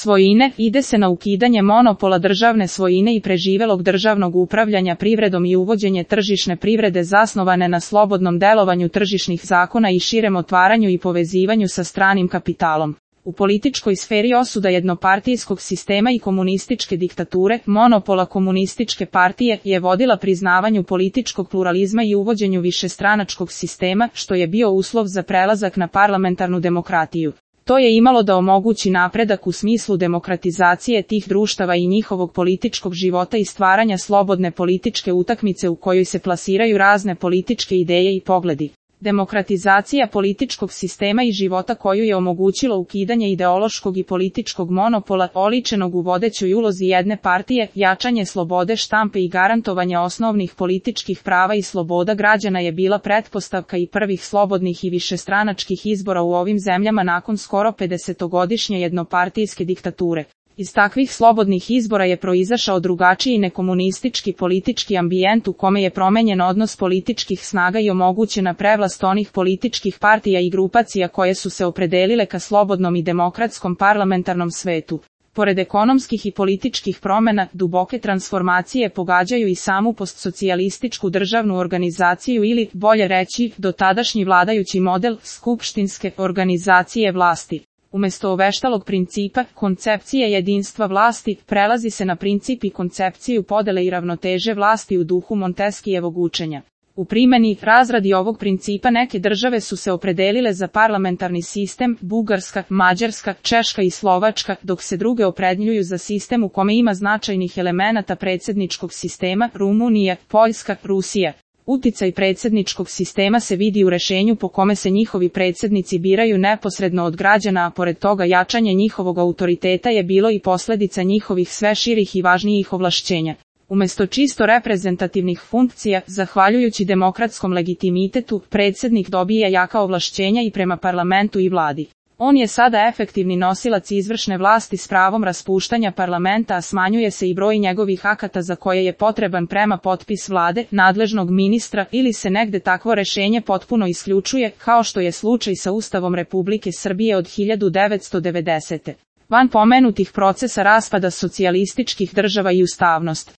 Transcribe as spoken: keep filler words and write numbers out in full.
svojine, ide se na ukidanje monopola državne svojine i preživelog državnog upravljanja privredom i uvođenje tržišne privrede zasnovane na slobodnom delovanju tržišnih zakona i širem otvaranju i povezivanju sa stranim kapitalom. U političkoj sferi osuda jednopartijskog sistema i komunističke diktature, monopola komunističke partije je vodila priznavanju političkog pluralizma i uvođenju višestranačkog sistema, što je bio uslov za prelazak na parlamentarnu demokratiju. To je imalo da omogući napredak u smislu demokratizacije tih društava i njihovog političkog života i stvaranja slobodne političke utakmice u kojoj se plasiraju razne političke ideje i pogledi. Demokratizacija političkog sistema i života koju je omogućilo ukidanje ideološkog i političkog monopola, oličenog u vodećoj ulozi jedne partije, jačanje slobode štampe i garantovanje osnovnih političkih prava i sloboda građana je bila pretpostavka i prvih slobodnih i višestranačkih izbora u ovim zemljama nakon skoro pedesetogodišnje jednopartijske diktature. Iz takvih slobodnih izbora je proizašao drugačiji nekomunistički politički ambijent u kome je promenjen odnos političkih snaga i omogućena prevlast onih političkih partija i grupacija koje su se opredelile ka slobodnom i demokratskom parlamentarnom svetu. Pored ekonomskih i političkih promena, duboke transformacije pogađaju i samu postsocijalističku državnu organizaciju ili, bolje reći, dotadašnji vladajući model skupštinske organizacije vlasti. Umesto oveštalog principa, koncepcije jedinstva vlasti, prelazi se na princip i koncepciju podele i ravnoteže vlasti u duhu Montesquijevog učenja. U primjeni, razradi ovog principa neke države su se opredelile za parlamentarni sistem, Bugarska, Mađarska, Češka i Slovačka, dok se druge opredjeljuju za sistem u kome ima značajnih elemenata predsjedničkog sistema, Rumunija, Poljska, Rusija. Uticaj predsjedničkog sistema se vidi u rešenju po kome se njihovi predsjednici biraju neposredno od građana, a pored toga jačanje njihovog autoriteta je bilo i posljedica njihovih sve širih i važnijih ovlašćenja. Umesto čisto reprezentativnih funkcija, zahvaljujući demokratskom legitimitetu, predsjednik dobija jaka ovlašćenja i prema parlamentu i vladi. On je sada efektivni nosilac izvršne vlasti s pravom raspuštanja parlamenta, a smanjuje se i broj njegovih akata za koje je potreban prema potpis vlade, nadležnog ministra ili se negde takvo rešenje potpuno isključuje, kao što je slučaj sa Ustavom Republike Srbije od hiljadu devetsto devedesete. Van pomenutih procesa raspada socijalističkih država i ustavnost.